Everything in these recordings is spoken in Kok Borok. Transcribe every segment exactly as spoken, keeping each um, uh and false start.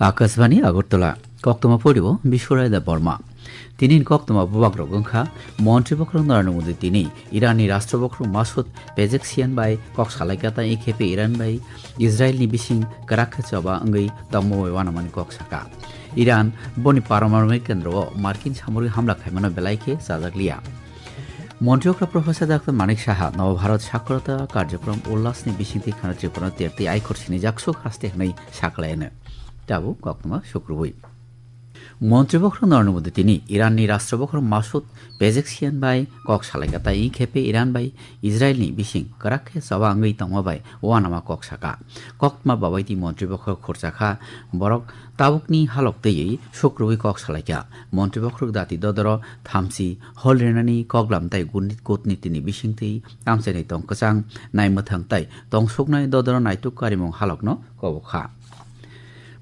Akashbani Agartala, koktoma porio Biswaraida Borma. Tini koktoma bubagrok wngkha, Montri Bokhorok Narendra Modi tini Iranni Rashtra Bokhorok Masoud Pezeshkian bai kok salaikha tei khepe Iran bai Israelni bising kwrak khe choba wngwi tongma bai uanamani kok sakha. Iran boni paramanobik kendro o Markin samorik hamla khaimano belai khe chajakliya. Montri okra Professor Doctor Manik Saha Nava Bharat Sakorota Karjokrom Ullasni bisingtwi khana Tripura tertwi aikhor sini jaksuk haste hwnwi sakhlaino. Tabuk koktoma sukrubui. Montri Bokhorok Narendra Modi tini Iranni Rashtra Bokhorok Masoud Pezeshkian bai kok salaikha tei khepe Iran bai Israelni bising kwrak khe choba wngwi tongma bai uanama kok sakha. Koktma babaiti Montri Bokhorok khurchakha, borok tabukni halok twiwi sukrubui kok salaikha. Montri Bokhorok dati dodoro thamchi hol rinani koklam tei guni-, kutnitini bisingtwi tamchaini tong kwchang naimwthang tei tongsuknai dodoro naituk karimung halokno kobokha.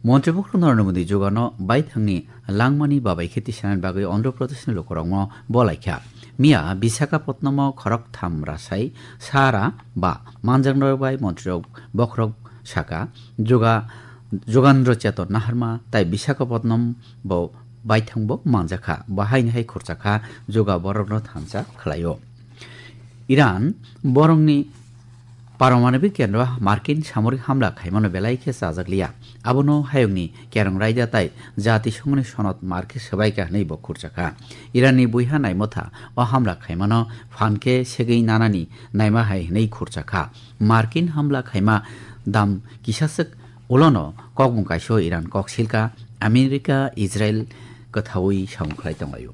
Montri Bokhorok Narendra Modi jugano baithangni langmani babai khe tisanani bagwi Andhra Pradeshni lukurokno bolaikha. Miya Visakhapatnamo khorok tham rasai sara ba manjaknarok bai montrirok bokhorok saka, juga Jugandro Cheton Naharma tai Visakhapatnam bo baithang bo manjakha, bo haini hai khurchakha, juga borokno thansa khlaio. Iran borokni paramanobik kendro Markin samorik hamla khaimano belai khe chajakliya. Abono hayungni kerong raida tai Jatisongoni sonod mar khe swbaikha hwnwi bo khurchakha. Iranni buiha naimotha o hamla khaimano phan khe segwi nanani naima hai hwnwi khurchakha. Markin hamla khaima dam kisaswk ulono kokmung kaisa Iran kok silka, America, Israel kwthaui samung khlai tonglaio.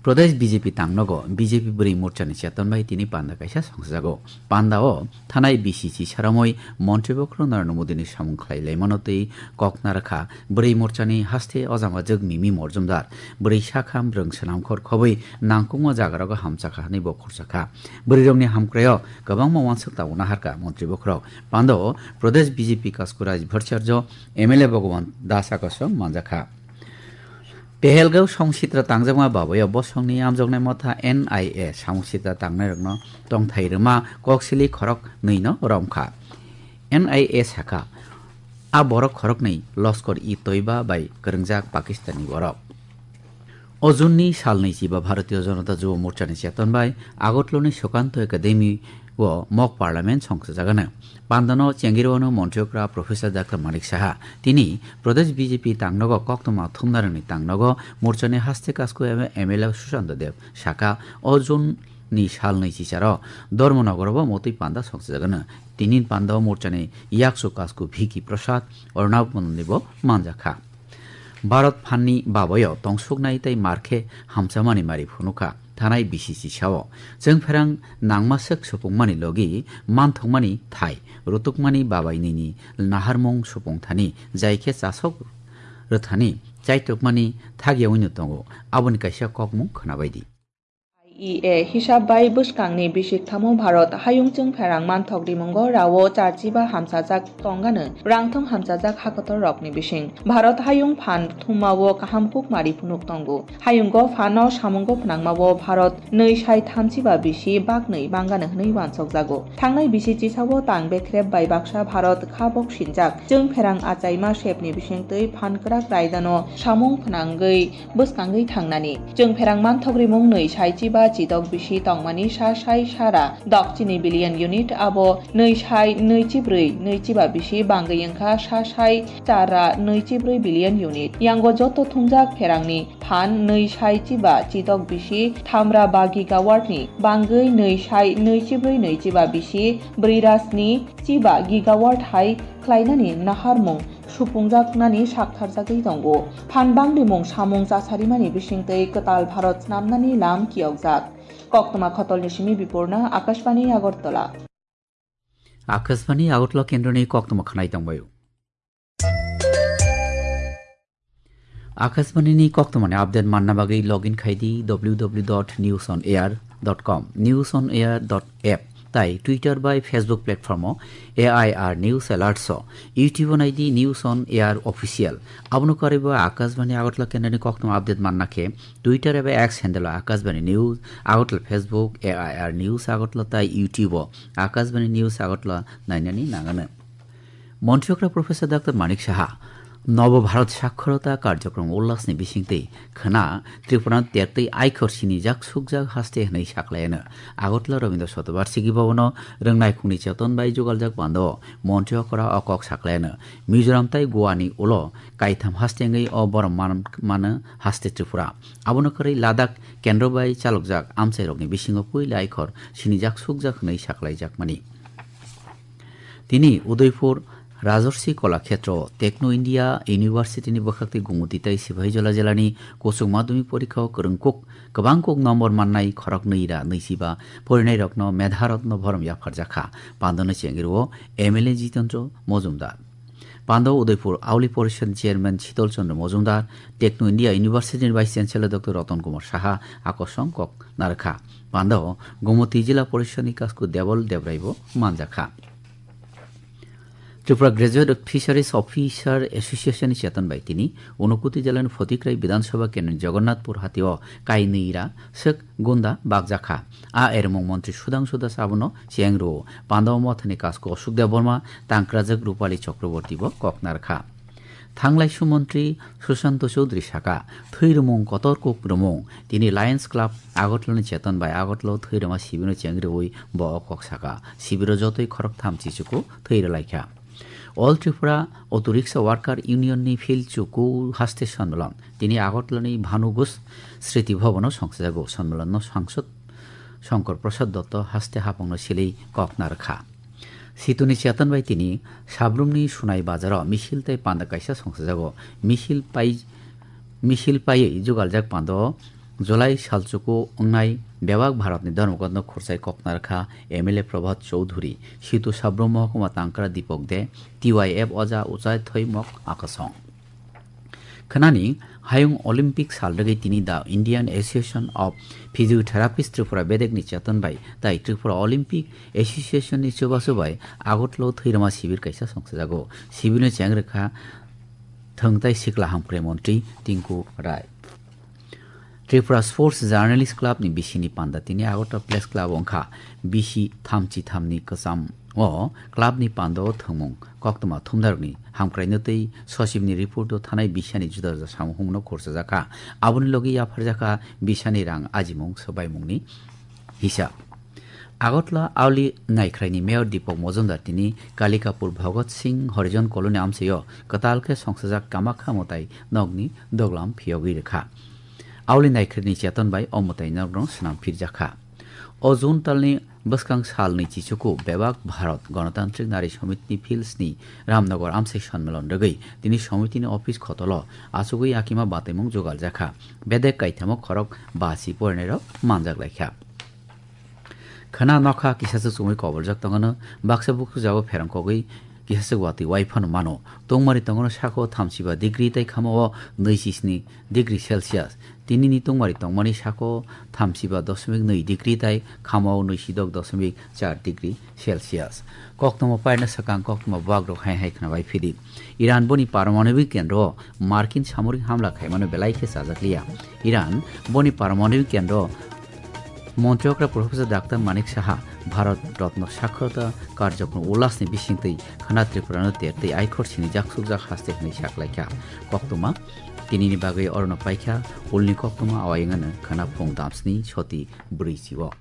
Pradesh B J P tangnogo B J P bwrwi morchani cheton bai tini panda kaisa songsajago. Panda o thanai B C C saramoi Montri Bokhorok Narendra Modi ni samung khlai laimano tei kok narakha bwrwi morchani haste ojama jwk Mimi Morjumdar. Bwrwi sakham rwng swnamkhor khobwi nangkukma jagarogo hamchakha hwnwi bo khurchakha. Bwrwirokni hamkraio kwbangma uansuk tabuk naharkha Montri Bokhorok. Panda o Pradesh B J P Kasku Raj Bhattacharya, M L A Bhagwan Das Akasong manjakha. Pehelgao song sitra tangjakma babayo bosongni amjoknai motha N I A samung sitra tangnairokno tongthai rwma koksili khorok nwino romkha. N I A sakha, a borok khoroknwi Loskor-i-Toiba bai kwrwngjak Pakistanni borok. O June-ni salnwi chiba Bharatiya Janata Yuva Morchani cheton bai Agartala-ni Sukanto Academy o mock parliament songchajagano. Pandano chengirwano Montri okra Professor Doctor Manik Saha. Tini Pradesh B J P tangnogo koktwma thumnarangni tangnogo morchani haste kasku M L A Sushanta Dev sakha, o June-ni salnwi chicharo Dharmanagaro bo motwi panda songchajagano. Tini pandao morchani yaksu kasku Vicky Prasad, Arnab Mondolni bo manjakha. Bharat phanni babayo tongsuknai tei mar khe hamchamani mari phunukha, thanai B C C sao. Chwngpherang nangmaswk supungmani logi manthokmani thai, rutukmani babai nini naharmung supung thani, jai khe chasok rwthani chaitukmani thagyaui no tongo, aboni kaisa kokmung khwnabaidi. I E A hisab bai bwskangni bisik thamo Bharat hayung chwngpherang manthok rimungo rao charchiba hamchajak tongano rangthong hamchajak hakotor rokni bising. Bharat hayung phan thumao kaham kukmari phunuk tongo. Hayungo phano samungo phnangmao Bharat nwi sai thamchiba bisi baknwi bangano hwnwi uansokjago. Thangnai bisi chisao tang bekrep bai baksa Bharat kha bok sinjak chwngpherang achaima sepni bisingtwi phan kwrak raidano samung phnangwi bwskangwi thangnani. Chwngpherang manthok rimung nwi sai chiba chidok bisi tongmani sa sai sara dokchini billion unit abo nwi sai nwi chibrwi nwi chiba bisi bangwi wngkha sa sai chara nwi chibrwi billion unit. Yango joto thumjak pherangni phan nwi sai chiba chidok bisi thamra ba gigawatt ni bangwi nwi sai nwi chibrwi nwi chiba bisi brwi ra sni chiba gigawatt hai khlainani naharmung supungjaknani saktharjagwi tongo. Phan bangrimung samung chasarimani bisingtwi kwtal Bharat snamnani lam kiyokjak. Koktwma khotolni simi Bipurna, Akashbani Agartala. Akashbani Agartala kendroni koktwma khwnai tongbaio. Akashbani ni koktwmani update manna bagwi login khai di w w w dot news on air dot com, news on air dot app tai Twitter bai Facebook platform o A I R News Alerts o, YouTube o nai di News on Air Official. Abono karwi bo Akashbani Agartala kendroni koktwma update manna khe Twitter eba X handle o Akashbani News Agartala, Facebook A I R News Agartala tai YouTube o Akashbani News Agartala nainani nangano. Montri okra Professor Doctor Manik Saha Nobo Bharat Sakhorota Karjokrom Ullasni bisingtwi khwna Tripura tertwi aikhor sinijak sukjak haste hwnwi saklaiyano. Agartala Rabindra Shatobarsiki Bhabono rwngnaikungni cheton bai jugaljak pando montri okora o kok saklaiyano. Mizoram tai Goani ulo kaitham haste wngwi o borom man-, mano haste Tripura. Abono kwrwi Ladakh kendro bai chalokjak amchairokni bisingo puila aikhor sinijak sukjak hwnwi saklaijakmani. Tini Udaipur Rajarsi Kolakhetro Techno India University ni bwkhaktwi Gumuti tai Sipahijola jilani kuchuk madhyamik porikha o kwrwngkuk kwbangkuk nombor mannai khoroknwi ra nwichiba porinairokno Medha Ratna borom yapharjakha. Pandono chengirwo M L A Jitendra Mojumdar. Pando Udaipur Auli Porishad Chairman Shital Chandra Mojumdar, Techno India University ni Vice Chancellor Doctor Ratan Kumar Saha akosong kok narwkha. Pando Gumuti Jila Porishad ni Kasku Debol Debrai bo manjakha. Tripura Graduate Fisheries Officer Association ni cheton bai tini Unokuti Jila ni Photikrai Bidhan Sabha Kendro ni Jagannathpur hati o kainwi ra swk gunda bakjakha. A ermung montri Sudhangshu Das abono cheng rwo. Pando Mothani Kasku Ashok Debbarma, Tangkrajak Rupali Chakraborty bo kok narwkha. Thanglai sumontri Sushanta Chowdhury saka, thwi rwmung kotor kuk rwmung, tini Lions Club Agartala ni cheton bai Agartala o thwi rwma sibirno cheng rwui bo o kok saka. Sibiro jotoi khoroktham chichuku thwi rwlaikha. All Tripura Auto Rickshaw Worker Union ni field chuku haste sonmilon tini Agartala ni Bhanu Ghosh Sriti Bhavan o songsajago. Sonmilon no sangsad Shankar Prasad Dotto haste hapang no silei kok narwkha. Situ ni cheton bai tini Sabrumni Sunai Bazar o misil tei panda kaisa songsajago. Misil pai, misil paiwi jugaljak panda o July salchuku wngnai bebak Bharatni Dharmagotno khurchai kok narwkha M L A Prabhat Chowdhury, Situ Sabrum Mohokuma Tangkra Dipok De, T Y F Oja Uchai Thoimok Akasong. Khwnani hayung Olympic sal rwgwi tini The Indian Association of Physiotherapist Tripura bedekni cheton bai tai Tripura Olympic Association ni chubachu bai Agartala o thwirwma sibir kaisa songsajago. Sibirno cheng rwkha thwng tai sikla hamkrai montri Tinku Rai. Tripura Sports Journalist Club ni bisini panda tini Agartala Press Club wngkha bisi thamchi thamni kwcham o club ni panda o thwngmung koktwma thumnarokni hamkraino tei sochibni report o thanai bisani juda juda samung humno khurchajakha. Aboni logi yapharjakha bisani rang ajimung swbaimungni hisab. Agartala Auli Naikhraini Mayor Deepak Majumdar tini Kalikapur Bhagat Singh Harijan Colony amchaio kwtal khe songsajak Kamakha Mwtai nokni doglam phiyogwi rwkha. Auli Naikhraini cheton bai o mwtai nokno swnam phirjakha. O June talni bwskang salni chichuku bebak Bharat Ganatantrik Nari Samitini Fields ni Ramnagar amchai sonmilon rwgwi tini Samitini office khotolo achugwi yakima bataimung jugaljakha. Bedek kaithamo khorok basi porinairok manjak laikha. Khwna nokha kisaswk chumui koboljak tongano, baksa bukhuk jago pherang kogwi kisaswk watwi wai phano mano. Tungmari tongmani saka o thamsiba degree tei khama o nwi chisni degree Celsius. Tinini tungmari tongmani saka o thamsiba dosmik nwi degree tei khama o nwisidok dosmik char degree Celsius. Koktwma paina swkang koktwma buagrok hai hai khwna bai phidi. Iran boni paramanobik kendro o Markin samorik hamla khaimano belai khe chajakliya. Iran boni paramanobik kendro Montri okra Professor Doctor Manik Saha Bharat Ratna Sakhorota Karjokrom Ullasni bisingtwi khwna Tripurano tertwi aikhor sinijak sukjak haste hwnwi saklaikha. Koktwma tinini bagwi orono paikha ulni koktwma awayungano khwna phung damsni soti brwi chio.